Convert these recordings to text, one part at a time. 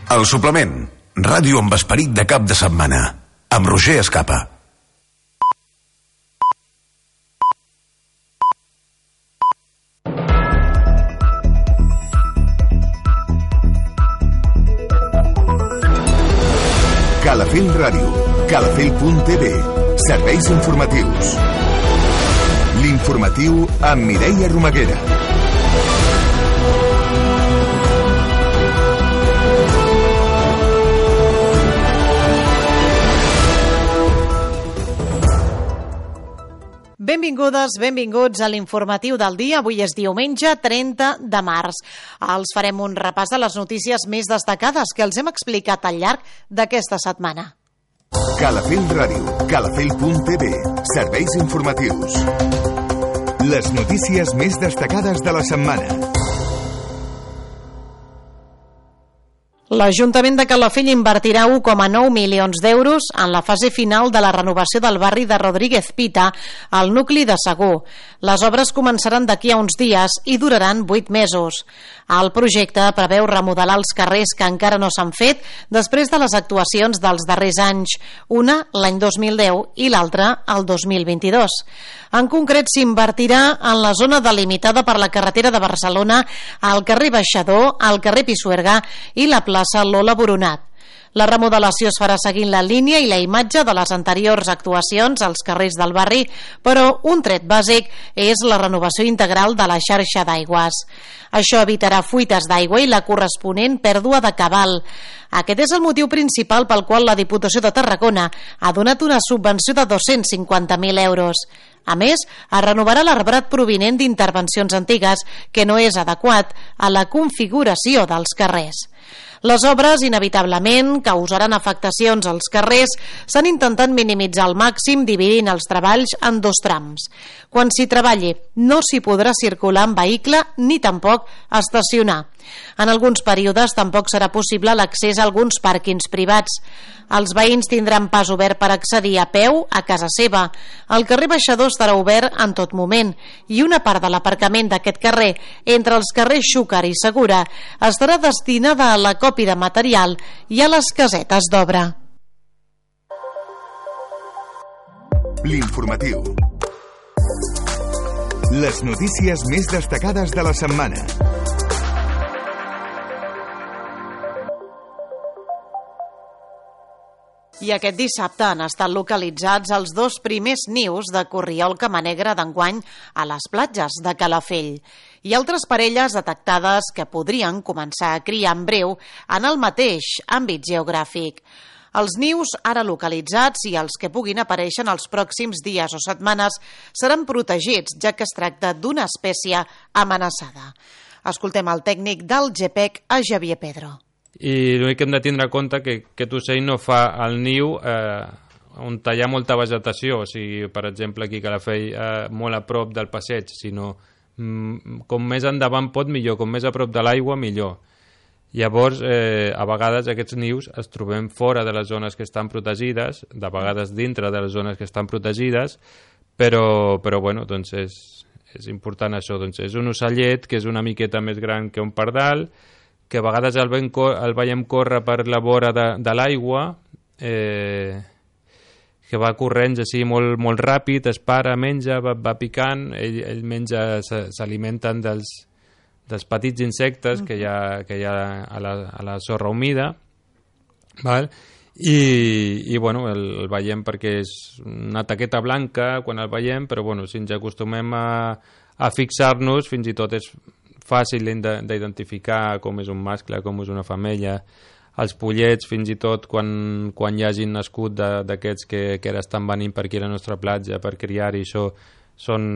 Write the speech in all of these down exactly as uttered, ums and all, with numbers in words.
El suplement, ràdio amb esperit de cap de setmana, amb Roger Escapa. Calafell Ràdio, calafell punt t v, serveis informatius. L'informatiu amb Mireia Romaguera. Benvingudes, benvinguts a l'informatiu del dia. Avui és diumenge trenta de març. Els farem un repàs de les notícies més destacades que els hem explicat al llarg d'aquesta setmana. Calafell Ràdio, calafell punt t v, serveis informatius. Les notícies més destacades de la setmana. L'Ajuntament de Calafell invertirà u coma nou milions d'euros en la fase final de la renovació del barri de Rodríguez Pita, al nucli de Segur. Les obres començaran d'aquí a uns dies i duraran vuit mesos. El projecte preveu remodelar els carrers que encara no s'han fet després de les actuacions dels darrers anys, una l'any dos mil deu i l'altra el dos mil vint-i-dos. En concret, s'invertirà en la zona delimitada per la carretera de Barcelona, al carrer Baixador, al carrer Pisuerga i la plaça Lola Boronat. La remodelació es farà seguint la línia i la imatge de les anteriors actuacions als carrers del barri, però un tret bàsic és la renovació integral de la xarxa d'aigües. Això evitarà fuites d'aigua i la corresponent pèrdua de cabal. Aquest és el motiu principal pel qual la Diputació de Tarragona ha donat una subvenció de dos-cents cinquanta mil euros. A més, es renovarà l'arbrat provinent d'intervencions antigues, que no és adequat a la configuració dels carrers. Les obres, inevitablement, causaran afectacions als carrers. S'han intentat minimitzar al màxim dividint els treballs en dos trams. Quan s'hi treballi, no s'hi podrà circular en vehicle ni tampoc estacionar. En alguns períodes tampoc serà possible l'accés a alguns pàrquings privats. Els veïns tindran pas obert per accedir a peu a casa seva. El carrer Baixador estarà obert en tot moment i una part de l'aparcament d'aquest carrer, entre els carrers Xúquer i Segura, estarà destinada a la còpia de material i a les casetes d'obra. L'informatiu. Les notícies més destacades de la setmana. I aquest dissabte han estat localitzats els dos primers nius de corriol camanegre d'enguany a les platges de Calafell i altres parelles detectades que podrien començar a criar en breu en el mateix àmbit geogràfic. Els nius ara localitzats i els que puguin aparèixer en els pròxims dies o setmanes seran protegits, ja que es tracta d'una espècie amenaçada. Escoltem el tècnic del G P E C, a Xavier Pedro. I l'únic que hem de tindre en compte que aquest ocell no fa el niu eh, on hi ha molta vegetació, o sigui, per exemple, aquí a Calafell, eh, molt a prop del passeig, sinó mm, com més endavant pot, millor, com més a prop de l'aigua, millor. Llavors, eh, a vegades aquests nius es trobem fora de les zones que estan protegides, de vegades dintre de les zones que estan protegides, però, però bueno, doncs és, és important això. Doncs és un ocellet que és una miqueta més gran que un pardal, que a vegades el, ven, el veiem córrer per la vora de, de l'aigua, eh, que va corrents així molt, molt ràpid, es para, menja, va, va picant, ell, ell menja, s'alimenten dels, dels petits insectes que hi ha, que hi ha a, la, a la sorra humida, val? I, i bueno, el, el veiem perquè és una taqueta blanca quan el veiem, però bueno, si ens acostumem a, a fixar-nos, fins i tot és fàcil d'identificar com és un mascle, com és una femella. Els pollets, fins i tot, quan, quan hi hagin nascut d'aquests que, que ara estan venint per aquí a la nostra platja per criar, i això són,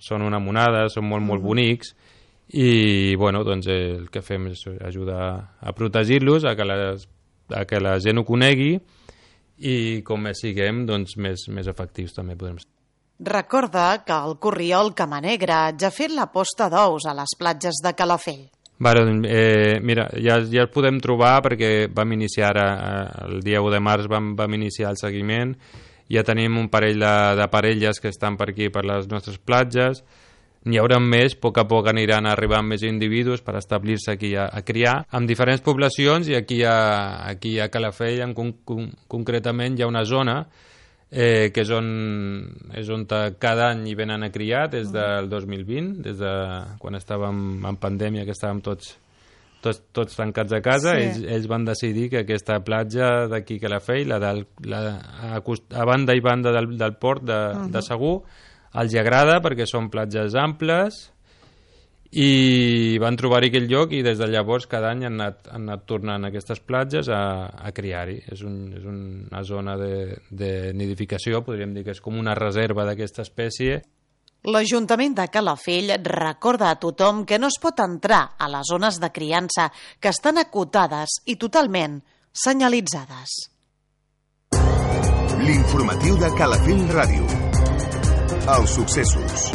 són una monada, són molt, molt bonics, i bueno, doncs el que fem és ajudar a protegir-los, a que, les, a que la gent ho conegui, i com més siguem, doncs més, més efectius també podrem ser. Recorda que el corriol camanegre ja ha fet la posta d'ous a les platges de Calafell. Bueno, eh, mira, ja, ja el podem trobar perquè vam iniciar ara, el dia u de març vam, vam iniciar el seguiment. Ja tenim un parell de, de parelles que estan per aquí, per les nostres platges. n'hi haurà més, a poc a poc aniran arribant més individus per establir-se aquí a, a criar, amb diferents poblacions, i aquí a, aquí a Calafell en con, con, concretament hi ha una zona eh, que és on, és on cada any hi venen a criar des del dos mil vint, des de quan estàvem en pandèmia, que estàvem tots Tots, tots tancats a casa, sí. ells, ells van decidir que aquesta platja d'aquí a Calafell, la del, la, a, a banda i banda del, del port de, uh -huh. de Segur, els agrada perquè són platges amples, i van trobar-hi aquell lloc, i des de llavors cada any han anat, han anat tornant a aquestes platges a, a criar-hi. És, un, és una zona de, de nidificació, podríem dir que és com una reserva d'aquesta espècie. L'Ajuntament de Calafell recorda a tothom que no es pot entrar a les zones de criança, que estan acotades i totalment senyalitzades. L'informatiu de Calafell Ràdio. Els successos.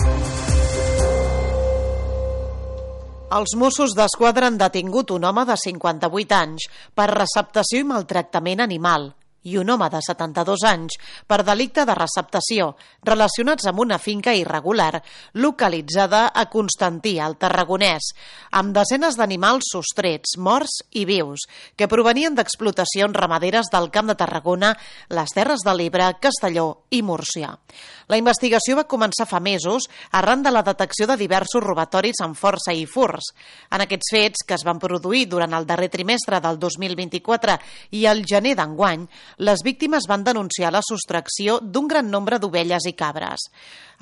Els Mossos d'Esquadra han detingut un home de cinquanta-vuit anys per receptació i maltractament animal i un home de setanta-dos anys per delicte de receptació relacionats amb una finca irregular localitzada a Constantí, al Tarragonès, amb desenes d'animals sostrets, morts i vius, que provenien d'explotacions ramaderes del Camp de Tarragona, les Terres de l'Ebre, Castelló i Múrcia. La investigació va començar fa mesos arran de la detecció de diversos robatoris amb força i furts. En aquests fets, que es van produir durant el darrer trimestre del dos mil vint-i-quatre i el gener d'enguany, les víctimes van denunciar la sostracció d'un gran nombre d'ovelles i cabres.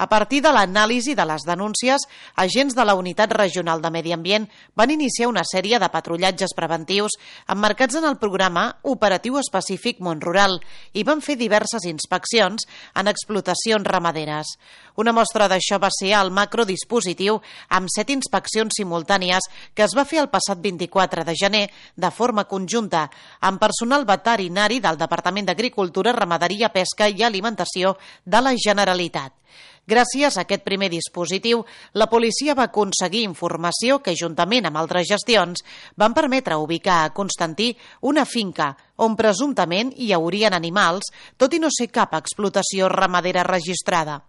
A partir de l'anàlisi de les denúncies, agents de la Unitat Regional de Medi Ambient van iniciar una sèrie de patrullatges preventius emmarcats en el programa Operatiu Específic Món Rural i van fer diverses inspeccions en explotacions ramaderes. Una mostra d'això va ser el macrodispositiu amb set inspeccions simultànies que es va fer el passat vint-i-quatre de gener de forma conjunta amb personal veterinari del Departament d'Agricultura, Ramaderia, Pesca i Alimentació de la Generalitat. Gràcies a aquest primer dispositiu, la policia va aconseguir informació que, juntament amb altres gestions, van permetre ubicar a Constantí una finca on presumptament hi haurien animals, tot i no ser cap explotació ramadera registrada.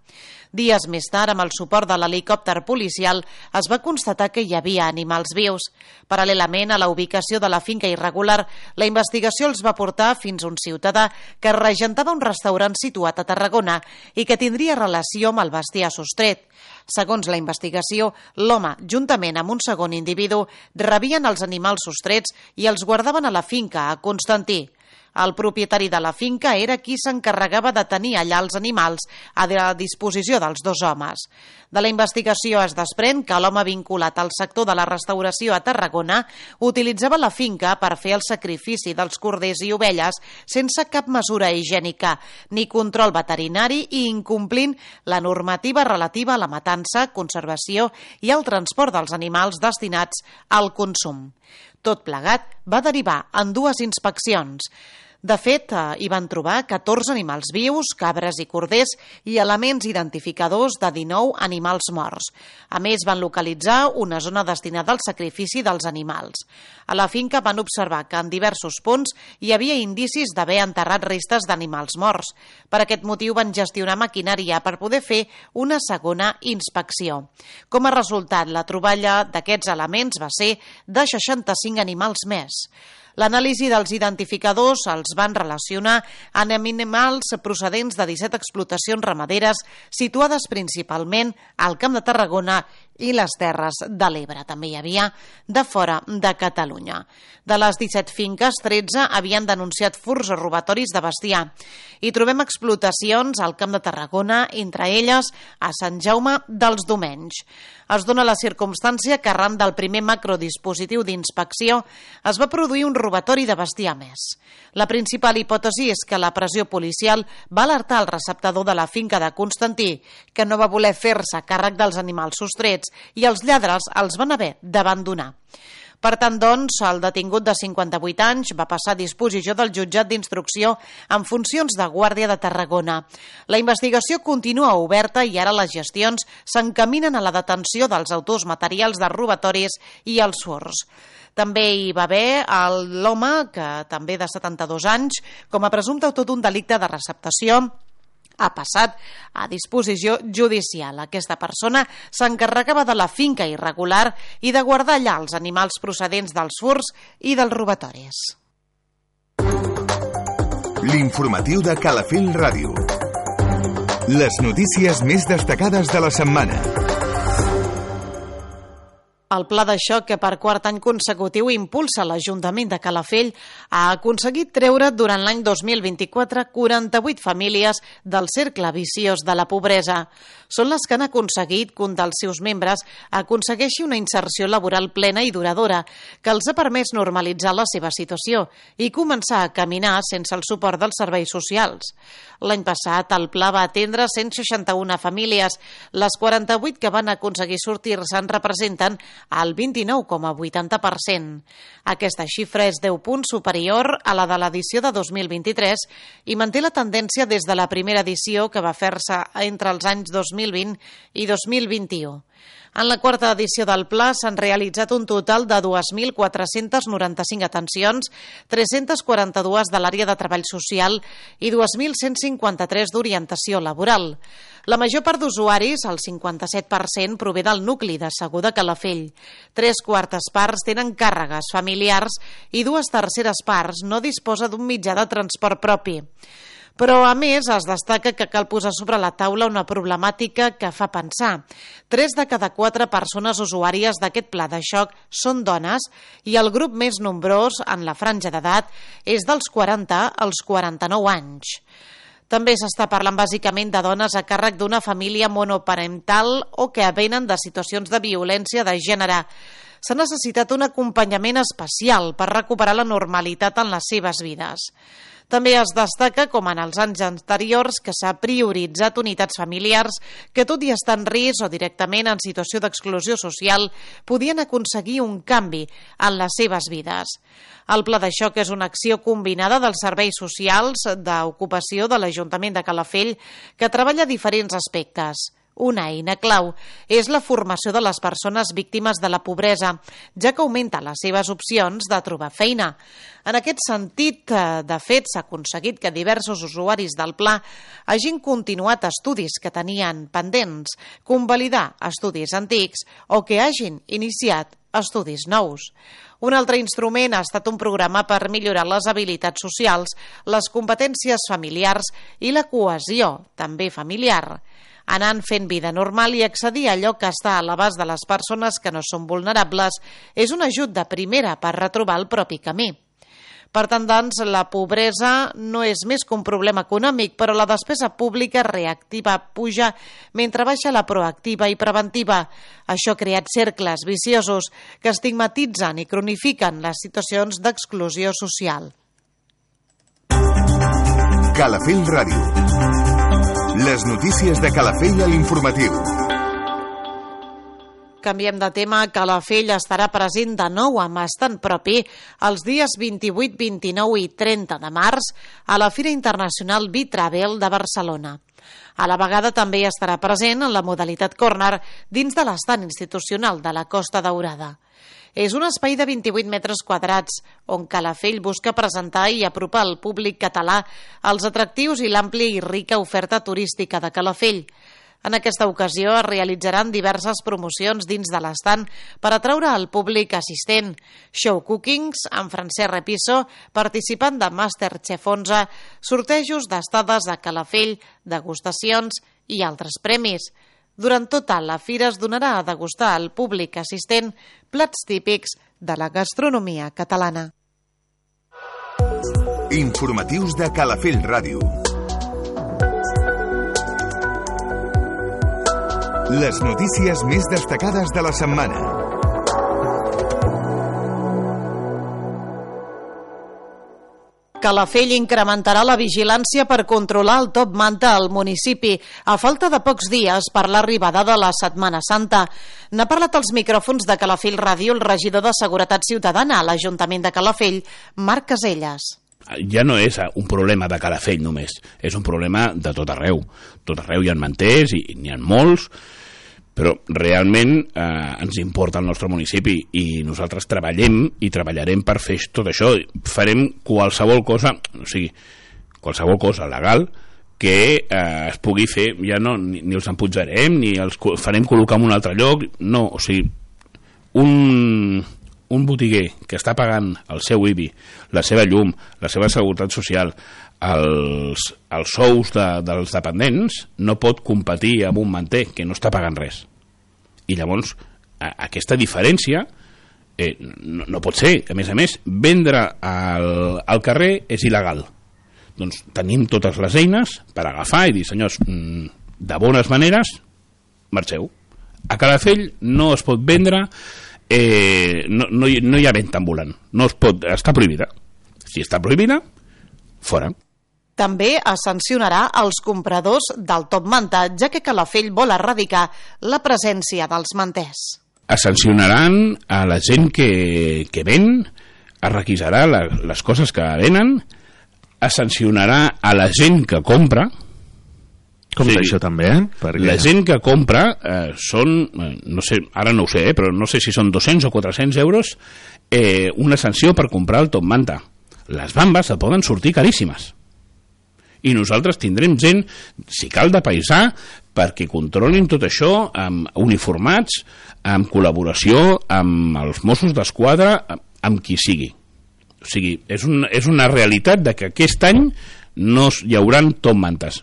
Dies més tard, amb el suport de l'helicòpter policial, es va constatar que hi havia animals vius. Paral·lelament a la ubicació de la finca irregular, la investigació els va portar fins a un ciutadà que regentava un restaurant situat a Tarragona i que tindria relació amb el bestiar sostret. Segons la investigació, l'home, juntament amb un segon individu, rebien els animals sostrets i els guardaven a la finca, a Constantí. El propietari de la finca era qui s'encarregava de tenir allà els animals a la disposició dels dos homes. De la investigació es desprèn que l'home vinculat al sector de la restauració a Tarragona utilitzava la finca per fer el sacrifici dels corders i ovelles sense cap mesura higiènica ni control veterinari i incomplint la normativa relativa a la matança, conservació i el transport dels animals destinats al consum. Tot plegat va derivar en dues inspeccions. De fet, hi van trobar catorze animals vius, cabres i corders i elements identificadors de dinou animals morts. A més, van localitzar una zona destinada al sacrifici dels animals. A la finca van observar que en diversos punts hi havia indicis d'haver enterrat restes d'animals morts. Per aquest motiu van gestionar maquinària per poder fer una segona inspecció. Com a resultat, la troballa d'aquests elements va ser de seixanta-cinc animals més. L'anàlisi dels identificadors els van relacionar amb animals procedents de disset explotacions ramaderes situades principalment al Camp de Tarragona i les Terres de l'Ebre. També hi havia de fora de Catalunya. De les disset finques, tretze havien denunciat furts o robatoris de bestiar. Hi trobem explotacions al Camp de Tarragona, entre elles a Sant Jaume dels Domenys. Es dona la circumstància que arran del primer macrodispositiu d'inspecció es va produir un robatori de bestiar més. La principal hipòtesi és que la pressió policial va alertar el receptador de la finca de Constantí, que no va voler fer-se càrrec dels animals sostrets i els lladres els van haver d'abandonar. Per tant, doncs, el detingut de cinquanta-vuit anys va passar a disposició del jutjat d'instrucció en funcions de guàrdia de Tarragona. La investigació continua oberta i ara les gestions s'encaminen a la detenció dels autors materials dels robatoris i els furts. També hi va haver l'home, que també de setanta-dos anys, com a presumpte autor d'un delicte de receptació ha passat a disposició judicial. Aquesta persona s'encarregava de la finca irregular i de guardar allà els animals procedents dels furts i dels robatoris. L'informatiu de Calafell Ràdio. Les notícies més destacades de la setmana. El pla de xoc que per quart any consecutiu impulsa l'Ajuntament de Calafell ha aconseguit treure durant l'any dos mil vint-i-quatre quaranta-vuit famílies del cercle viciós de la pobresa. Són les que han aconseguit que un dels seus membres aconsegueixi una inserció laboral plena i duradora que els ha permès normalitzar la seva situació i començar a caminar sense el suport dels serveis socials. L'any passat el pla va atendre cent seixanta-una famílies. Les quaranta-vuit que van aconseguir sortir-se'n representen al vint-i-nou coma vuitanta per cent. Aquesta xifra és deu punts superior a la de l'edició de dos mil vint-i-tres i manté la tendència des de la primera edició que va fer-se entre els anys dos mil vint i dos mil vint-i-u. En la quarta edició del pla s'han realitzat un total de dos mil quatre-cents noranta-cinc atencions, tres-cents quaranta-dos de l'àrea de treball social i dos mil cent cinquanta-tres d'orientació laboral. La major part d'usuaris, el cinquanta-set per cent, prové del nucli de Segur de Calafell. Tres quartes parts tenen càrregues familiars i dues terceres parts no disposa d'un mitjà de transport propi. Però, a més, es destaca que cal posar sobre la taula una problemàtica que fa pensar. Tres de cada quatre persones usuàries d'aquest pla de xoc són dones i el grup més nombrós en la franja d'edat és dels quaranta als quaranta-nou anys. També s'està parlant bàsicament de dones a càrrec d'una família monoparental o que venen de situacions de violència de gènere. S'ha necessitat un acompanyament especial per recuperar la normalitat en les seves vides. També es destaca, com en els anys anteriors, que s'ha prioritzat unitats familiars que, tot i estar en risc o directament en situació d'exclusió social, podien aconseguir un canvi en les seves vides. El pla de xoc és una acció combinada dels serveis socials d'ocupació de l'Ajuntament de Calafell que treballa diferents aspectes. Una eina clau és la formació de les persones víctimes de la pobresa, ja que augmenta les seves opcions de trobar feina. En aquest sentit, de fet, s'ha aconseguit que diversos usuaris del pla hagin continuat estudis que tenien pendents, convalidar estudis antics o que hagin iniciat estudis nous. Un altre instrument ha estat un programa per millorar les habilitats socials, les competències familiars i la cohesió, també familiar. Anant fent vida normal i accedir a allò que està a l'abast de les persones que no són vulnerables és un ajut de primera per retrobar el propi camí. Per tant, doncs, la pobresa no és més que un problema econòmic, però la despesa pública reactiva puja mentre baixa la proactiva i preventiva. Això ha creat cercles viciosos que estigmatitzen i cronifiquen les situacions d'exclusió social. Calafell Ràdio. Les notícies de Calafell a l'informatiu. Canviem de tema. Calafell estarà present de nou amb estant propi els dies vint-i-vuit, vint-i-nou i trenta de març a la Fira Internacional B-Travel de Barcelona. A la vegada també estarà present en la modalitat Corner dins de l'estant institucional de la Costa Daurada. És un espai de vint-i-vuit metres quadrats on Calafell busca presentar i apropar al públic català els atractius i l'àmplia i rica oferta turística de Calafell. En aquesta ocasió es realitzaran diverses promocions dins de l'estant per atraure al públic assistent, show cookings amb Francesc Repiso, participant de Masterchef onze, sortejos d'estades a Calafell, degustacions i altres premis. Durant tota la fira es donarà a degustar al públic assistent plats típics de la gastronomia catalana. Informatius de Calafell Ràdio. Les notícies més destacades de la setmana. Calafell incrementarà la vigilància per controlar el top manta al municipi a falta de pocs dies per l'arribada de la Setmana Santa. N'ha parlat als micròfons de Calafell Ràdio el regidor de Seguretat Ciutadana a l'Ajuntament de Calafell, Marc Caselles. Ja no és un problema de Calafell només, és un problema de tot arreu. Tot arreu hi ha manters i n'hi ha molts, però realment eh, ens importa el nostre municipi i nosaltres treballem i treballarem per fer tot això. Farem qualsevol cosa, o sigui, qualsevol cosa legal que eh, es pugui fer, ja no, ni, ni els empujarem, ni els farem col·locar en un altre lloc, no, o sigui, un, un botiguer que està pagant el seu I B I, la seva llum, la seva seguretat social, els, els sous de, dels dependents, no pot competir amb un manter que no està pagant res. I llavors, a, aquesta diferència eh, no, no pot ser. A més a més, vendre al, al carrer és il·legal. Doncs tenim totes les eines per agafar i dir, senyors, de bones maneres, marxeu. A Calafell no es pot vendre, eh, no, no, hi, no hi ha venda ambulant, no es pot, està prohibida. Si està prohibida, fora. També es sancionarà els compradors del top manta, ja que Calafell vol erradicar la presència dels manters. Es sancionaran a la gent que, que ven, es requisarà la, les coses que venen, es sancionarà a la gent que compra. Com sí, això també, eh? Perquè... La gent que compra eh, són, eh, no sé, ara no ho sé, eh, però no sé si són dos-cents o quatre-cents euros eh, una sanció per comprar el top manta. Les bambes se poden sortir caríssimes. I nosaltres tindrem gent, si cal de paisà, perquè controlin tot això amb uniformats, amb col·laboració amb els Mossos d'Esquadra, amb, amb qui sigui. O sigui, és, un, és una realitat de que aquest any no hi hauran top mantes.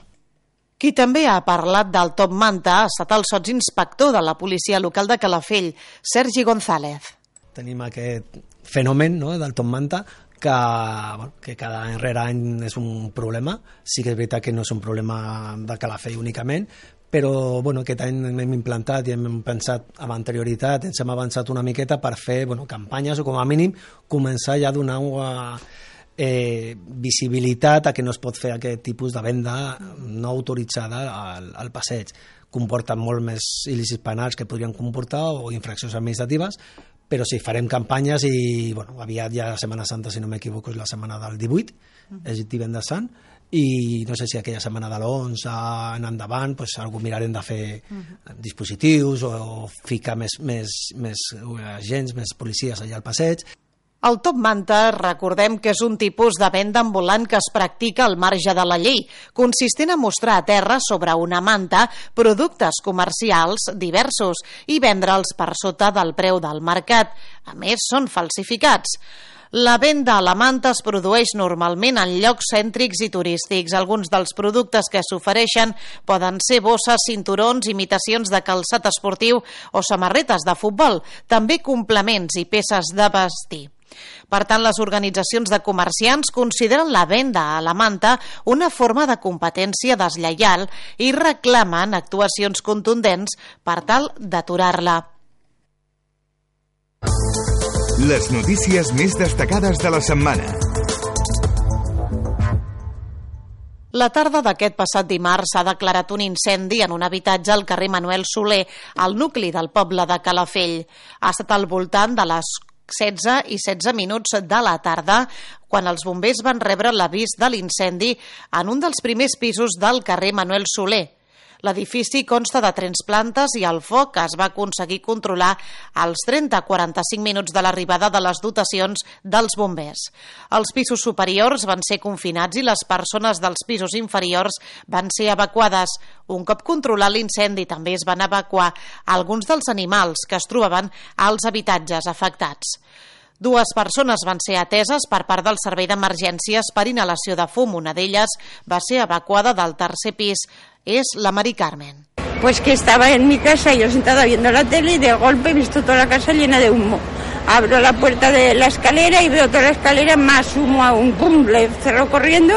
Qui també ha parlat del top manta ha estat el sotsinspector de la policia local de Calafell, Sergi González. Tenim aquest fenomen, no?, del top manta, que, bueno, que cada any rere any és un problema. Sí que és veritat que no és un problema de Calafell únicament, però bueno, aquest any hem implantat i hem pensat amb anterioritat, ens hem avançat una miqueta per fer bueno, campanyes o com a mínim començar ja a donar una eh, visibilitat a que no es pot fer aquest tipus de venda no autoritzada al, al passeig. Comporten molt més il·lícits penals que podrien comportar o infraccions administratives, però sí, farem campanyes i bueno, aviat ja la Setmana Santa, si no m'equivoco, és la setmana del divuit, és divendres sant, i no sé si aquella setmana de l'onze en endavant pues, algú mirarem de fer uh-huh. dispositius o, o ficar més, més, més agents, més policies allà al passeig. El top manta, recordem que és un tipus de venda ambulant que es practica al marge de la llei, consistent a mostrar a terra sobre una manta productes comercials diversos i vendre'ls per sota del preu del mercat. A més, són falsificats. La venda a la manta es produeix normalment en llocs cèntrics i turístics. Alguns dels productes que s'ofereixen poden ser bosses, cinturons, imitacions de calçat esportiu o samarretes de futbol, també complements i peces de vestir. Per tant, les organitzacions de comerciants consideren la venda a la manta una forma de competència deslleial i reclamen actuacions contundents per tal d'aturar-la. Les notícies més destacades de la setmana. La tarda d'aquest passat dimarts s'ha declarat un incendi en un habitatge al carrer Manuel Soler, al nucli del poble de Calafell. Ha estat al voltant de les setze i setze minuts de la tarda quan els bombers van rebre l'avís de l'incendi en un dels primers pisos del carrer Manuel Soler. L'edifici consta de tres plantes i el foc es va aconseguir controlar als trenta a quaranta-cinc minuts de l'arribada de les dotacions dels bombers. Els pisos superiors van ser confinats i les persones dels pisos inferiors van ser evacuades. Un cop controlat l'incendi, també es van evacuar alguns dels animals que es trobaven als habitatges afectats. Dues persones van ser ateses per part del servei d'emergències per inhalació de fum. Una d'elles va ser evacuada del tercer pis. Es la Mari Carmen. Pues que estaba en mi casa, yo sentada viendo la tele y de golpe he visto toda la casa llena de humo. Abro la puerta de la escalera y veo toda la escalera, más humo aún. Pum, le cerró corriendo.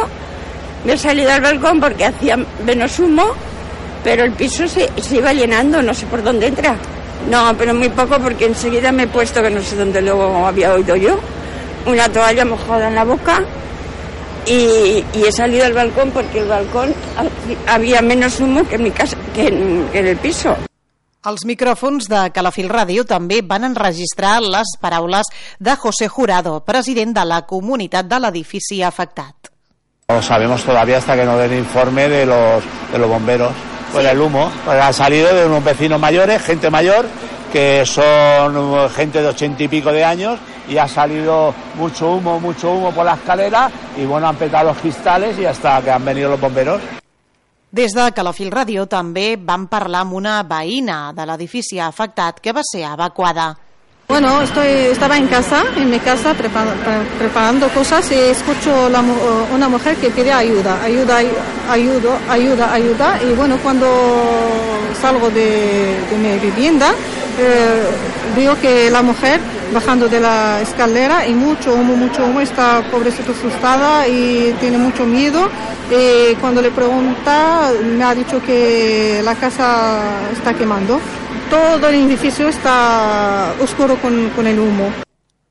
Me he salido al balcón porque hacía menos humo, pero el piso se, se iba llenando, no sé por dónde entra. No, pero muy poco porque enseguida me he puesto, que no sé dónde luego había oído yo, una toalla mojada en la boca y, y he salido al balcón porque el balcón había menos humo que en mi casa, que en, que en el piso. Els micròfons de Calafell Ràdio també van enregistrar les paraules de José Jurado, president de la comunitat de l'edifici afectat. No sabemos todavía hasta que no den informe de los, de los bomberos. Pues el humo, pues ha salido de unos vecinos mayores, gente mayor, que son gente de ochenta y pico de años, y ha salido mucho humo, mucho humo por la escalera, y bueno, han petado los cristales y hasta que han venido los bomberos. Des de Calafell Ràdio també vam parlar amb una veïna de l'edifici afectat que va ser evacuada. Bueno, estoy, estaba en casa, en mi casa, prepara, preparando cosas y escucho la, una mujer que pide ayuda, ayuda, ayuda, ayuda, ayuda. Y bueno, cuando salgo de, de mi vivienda, eh, veo que la mujer bajando de la escalera y mucho humo, mucho humo, está pobrecita asustada y tiene mucho miedo. Y cuando le pregunta, me ha dicho que la casa está quemando. Todo el edificio está oscuro con, con el humo.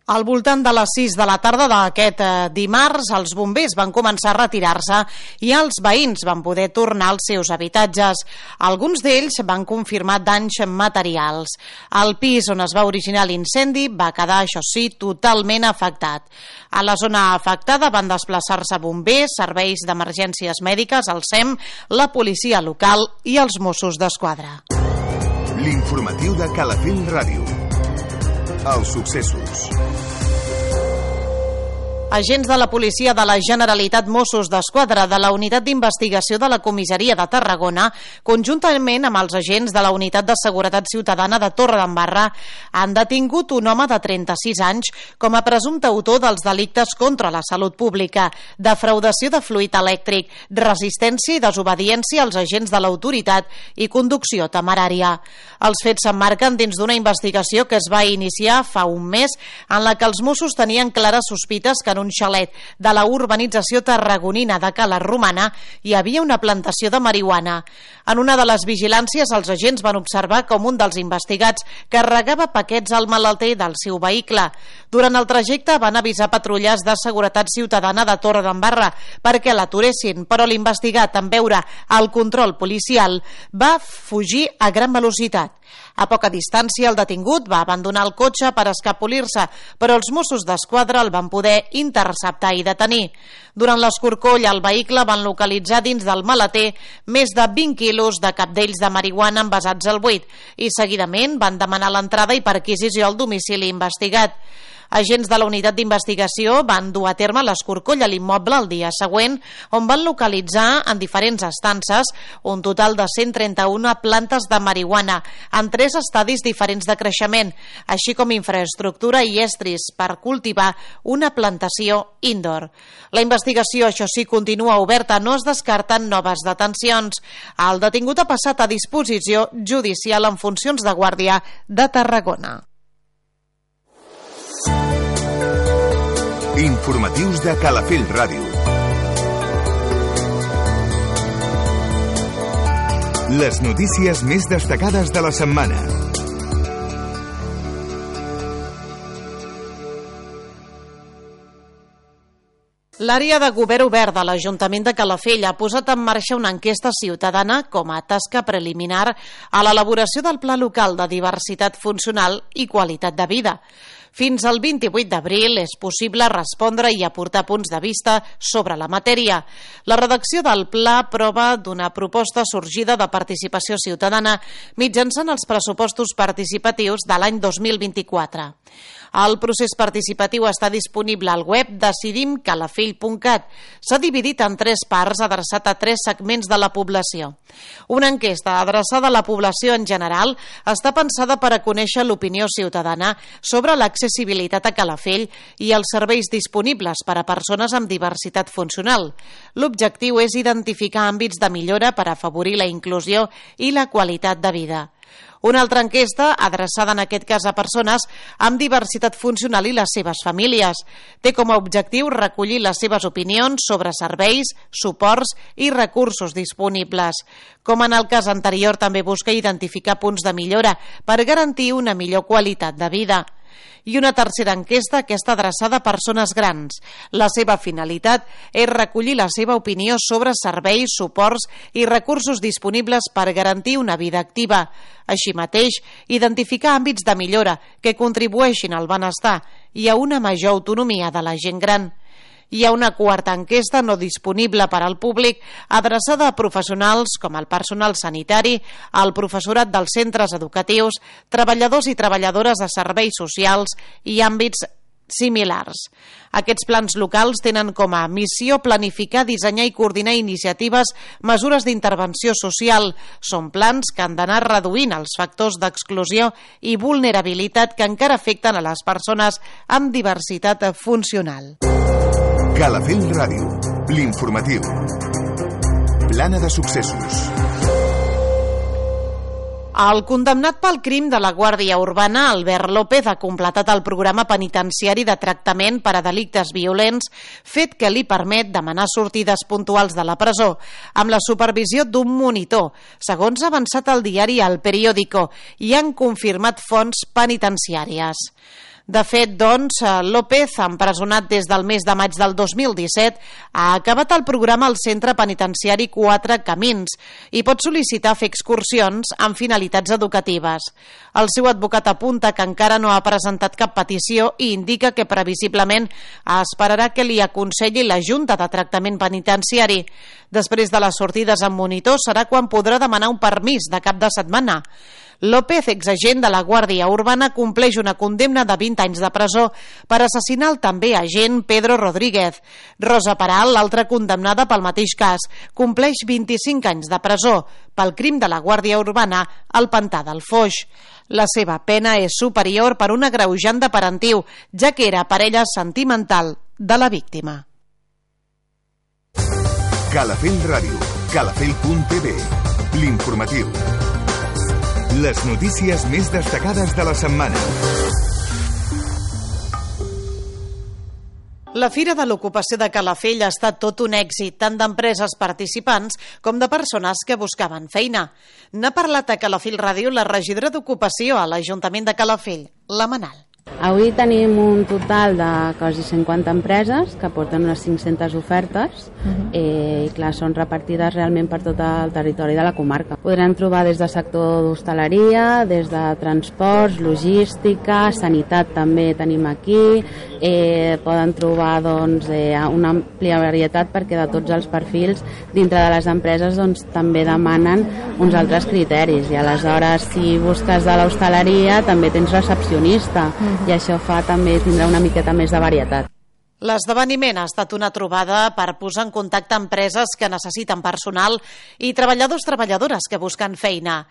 Al voltant de les sis de la tarda d'aquest dimarts, els bombers van començar a retirar-se i els veïns van poder tornar als seus habitatges. Alguns d'ells van confirmar danys materials. El pis on es va originar l'incendi va quedar, això sí, totalment afectat. A la zona afectada van desplaçar-se bombers, serveis d'emergències mèdiques, el S E M, la policia local i els Mossos d'Esquadra. L'informatiu de Calafell Ràdio. Els successos. Agents de la policia de la Generalitat, Mossos d'Esquadra, de la Unitat d'Investigació de la Comissaria de Tarragona, conjuntament amb els agents de la Unitat de Seguretat Ciutadana de Torredembarra, han detingut un home de trenta-sis anys com a presumpte autor dels delictes contra la salut pública, defraudació de fluid elèctric, resistència i desobediència als agents de l'autoritat i conducció temerària. Els fets s'emmarquen dins d'una investigació que es va iniciar fa un mes en la que els Mossos tenien clares sospites que en un xalet de la urbanització tarragonina de Cala Romana hi havia una plantació de marihuana. En una de les vigilàncies, els agents van observar com un dels investigats carregava paquets al malalter del seu vehicle. Durant el trajecte van avisar patrulles de seguretat ciutadana de Torredembarra perquè l'aturessin, però l'investigat, en veure el control policial, va fugir a gran velocitat. A poca distància, el detingut va abandonar el cotxe per escapolir-se, però els Mossos d'Esquadra el van poder interceptar i detenir. Durant l'escorcoll al vehicle van localitzar dins del maleter més de vint quilos de capdells de marihuana envasats al buit i seguidament van demanar l'entrada i perquisició al domicili investigat. Agents de la unitat d'investigació van dur a terme l'escorcoll a l'immoble el dia següent, on van localitzar en diferents estances un total de cent trenta-una plantes de marihuana en tres estadis diferents de creixement, així com infraestructura i estris per cultivar una plantació indoor. La investigació, això sí, continua oberta, no es descarten noves detencions. El detingut ha passat a disposició judicial en funcions de guàrdia de Tarragona. Informatius de Calafell Ràdio. Les notícies més destacades de la setmana. L'àrea de govern obert de l'Ajuntament de Calafell ha posat en marxa una enquesta ciutadana com a tasca preliminar a l'elaboració del Pla Local de Diversitat Funcional i Qualitat de Vida. Fins al vint-i-vuit d'abril és possible respondre i aportar punts de vista sobre la matèria. La redacció del pla prova d'una proposta sorgida de participació ciutadana mitjançant els pressupostos participatius de l'any dos mil vint-i-quatre. El procés participatiu està disponible al web decidim calafell punt cat. S'ha dividit en tres parts adreçat a tres segments de la població. Una enquesta adreçada a la població en general està pensada per a conèixer l'opinió ciutadana sobre l'accessibilitat a Calafell i els serveis disponibles per a persones amb diversitat funcional. L'objectiu és identificar àmbits de millora per afavorir la inclusió i la qualitat de vida. Una altra enquesta, adreçada en aquest cas a persones amb diversitat funcional i les seves famílies, té com a objectiu recollir les seves opinions sobre serveis, suports i recursos disponibles. Com en el cas anterior, també busca identificar punts de millora per garantir una millor qualitat de vida. I una tercera enquesta, aquesta adreçada a persones grans. La seva finalitat és recollir la seva opinió sobre serveis, suports i recursos disponibles per garantir una vida activa. Així mateix, identificar àmbits de millora que contribueixin al benestar i a una major autonomia de la gent gran. Hi ha una quarta enquesta no disponible per al públic adreçada a professionals com el personal sanitari, el professorat dels centres educatius, treballadors i treballadores de serveis socials i àmbits similars. Aquests plans locals tenen com a missió planificar, dissenyar i coordinar iniciatives, mesures d'intervenció social. Són plans que han d'anar reduint els factors d'exclusió i vulnerabilitat que encara afecten a les persones amb diversitat funcional. Calafell Ràdio, l'informatiu. Plana de successos. El condemnat pel crim de la Guàrdia Urbana, Albert López, ha completat el programa penitenciari de tractament per a delictes violents, fet que li permet demanar sortides puntuals de la presó, amb la supervisió d'un monitor, segons ha avançat el diari El Periódico, i han confirmat fonts penitenciàries. De fet, doncs, López, empresonat des del mes de maig del dos mil disset, ha acabat el programa al centre penitenciari Quatre Camins i pot sol·licitar fer excursions amb finalitats educatives. El seu advocat apunta que encara no ha presentat cap petició i indica que previsiblement esperarà que li aconselli la Junta de Tractament Penitenciari. Després de les sortides amb monitor serà quan podrà demanar un permís de cap de setmana. López, exagent de la Guàrdia Urbana, compleix una condemna de vint anys de presó per assassinar el també agent Pedro Rodríguez. Rosa Peral, l'altra condemnada pel mateix cas, compleix vint-i-cinc anys de presó pel crim de la Guàrdia Urbana al Pantà del Foix. La seva pena és superior per un agreujant de parentiu, ja que era parella sentimental de la víctima. Calafell Ràdio, calafell punt t v, l'informatiu. Les notícies més destacades de la setmana. La Fira de l'Ocupació de Calafell ha estat tot un èxit, tant d'empreses participants com de persones que buscaven feina. N'ha parlat a Calafell Ràdio la regidora d'Ocupació a l'Ajuntament de Calafell, la Manal. Avui tenim un total de quasi cinquanta empreses que porten unes cinc-centes ofertes uh-huh. eh, i clar, són repartides realment per tot el territori de la comarca. Podrem trobar des del sector d'hostaleria, des de transports, logística, sanitat també tenim aquí, eh, poden trobar doncs, eh, una àmplia varietat perquè de tots els perfils dintre de les empreses doncs, també demanen uns altres criteris i aleshores si busques de l'hostaleria també tens recepcionista uh-huh. i això fa també tindrà una miqueta més de varietat. L'esdeveniment ha estat una trobada per posar en contacte empreses que necessiten personal i treballadors treballadores que busquen feina.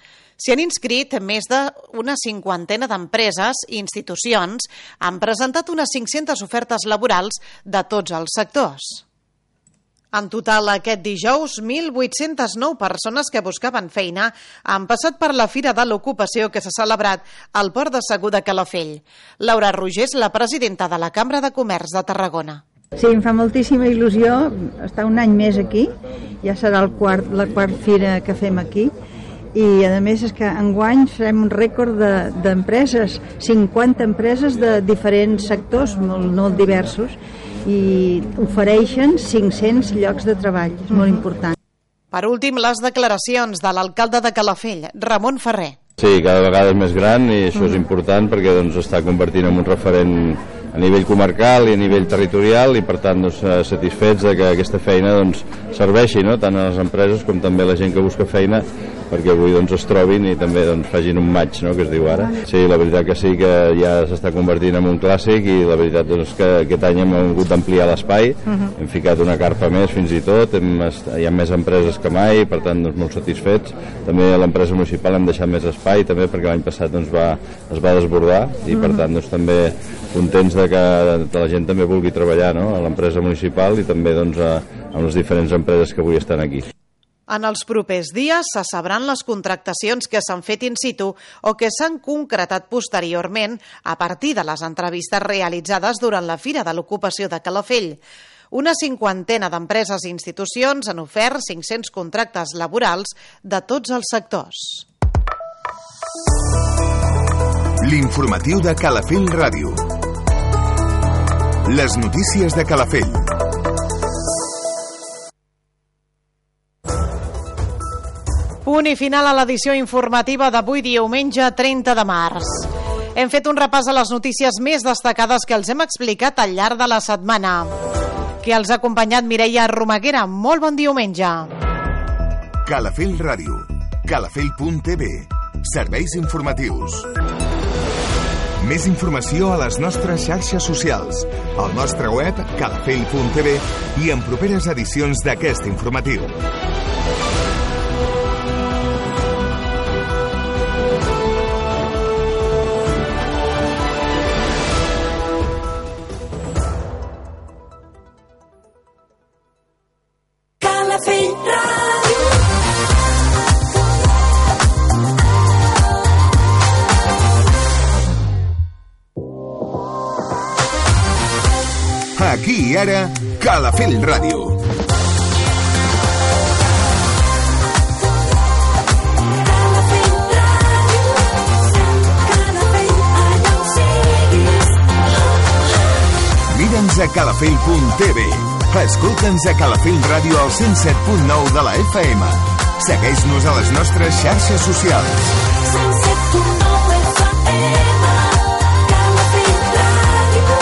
S'hi han inscrit més d'una cinquantena d'empreses i institucions, han presentat unes cinc-centes ofertes laborals de tots els sectors. En total, aquest dijous, mil vuit-centes nou persones que buscaven feina han passat per la Fira de l'Ocupació que s'ha celebrat al Port de Segur de Calafell. Laura Roger és la presidenta de la Cambra de Comerç de Tarragona. Sí, em fa moltíssima il·lusió estar un any més aquí, ja serà el quart, la quarta fira que fem aquí, i a més és que enguany farem un rècord d'empreses, de, cinquanta empreses de diferents sectors molt, molt diversos, i ofereixen cinc-cents llocs de treball, és molt important. Per últim, les declaracions de l'alcalde de Calafell, Ramon Ferrer. Sí, cada vegada és més gran i això és important perquè doncs, està convertint en un referent a nivell comarcal i a nivell territorial i per tant doncs, satisfets de que aquesta feina doncs, serveixi no? tant a les empreses com també a la gent que busca feina perquè avui doncs, es trobin i també doncs, facin un match, no? que es diu ara. Sí, la veritat que sí que ja s'està convertint en un clàssic i la veritat doncs, que aquest any hem hagut d'ampliar l'espai, uh-huh. hem ficat una carpa més fins i tot, hem, hi ha més empreses que mai, per tant doncs, molt satisfets. També a l'empresa municipal hem deixat més espai també perquè l'any passat doncs, va, es va desbordar i per tant doncs, també contents de que la gent també vulgui treballar no? a l'empresa municipal i també doncs, a, a les diferents empreses que avui estan aquí. En els propers dies se sabran les contractacions que s'han fet in situ o que s'han concretat posteriorment a partir de les entrevistes realitzades durant la Fira de l'Ocupació de Calafell. Una cinquantena d'empreses i institucions han ofert cinc-cents contractes laborals de tots els sectors. L'informatiu de Calafell Ràdio. Les notícies de Calafell. Punt i final a l'edició informativa d'avui diumenge trenta de març. Hem fet un repàs a les notícies més destacades que els hem explicat al llarg de la setmana. Que els ha acompanyat Mireia Romaguera. Molt bon diumenge. Calafell Ràdio. calafell punt t v. Serveis informatius. Més informació a les nostres xarxes socials, al nostre web calafell punt t v i en properes edicions d'aquest informatiu. Aquí i ara, Calafell Ràdio. Mira'ns a calafell punt t v. Escolta'ns a Calafell Ràdio al cent set punt nou de la F M. Segueix-nos a les nostres xarxes socials. cent set punt nou F M. Calafell Ràdio.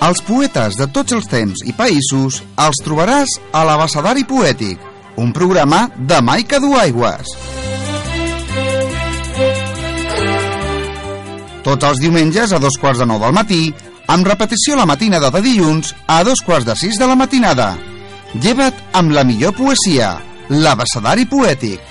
Els poetes de tots els temps i països els trobaràs a l'Abecedari Poètic, un programa de Maica Duaigües. Tots els diumenges a dos quarts de nou del matí, amb repetició la matinada de dilluns a dos quarts de sis de la matinada. Lleva't amb la millor poesia, l'Abecedari Poètic.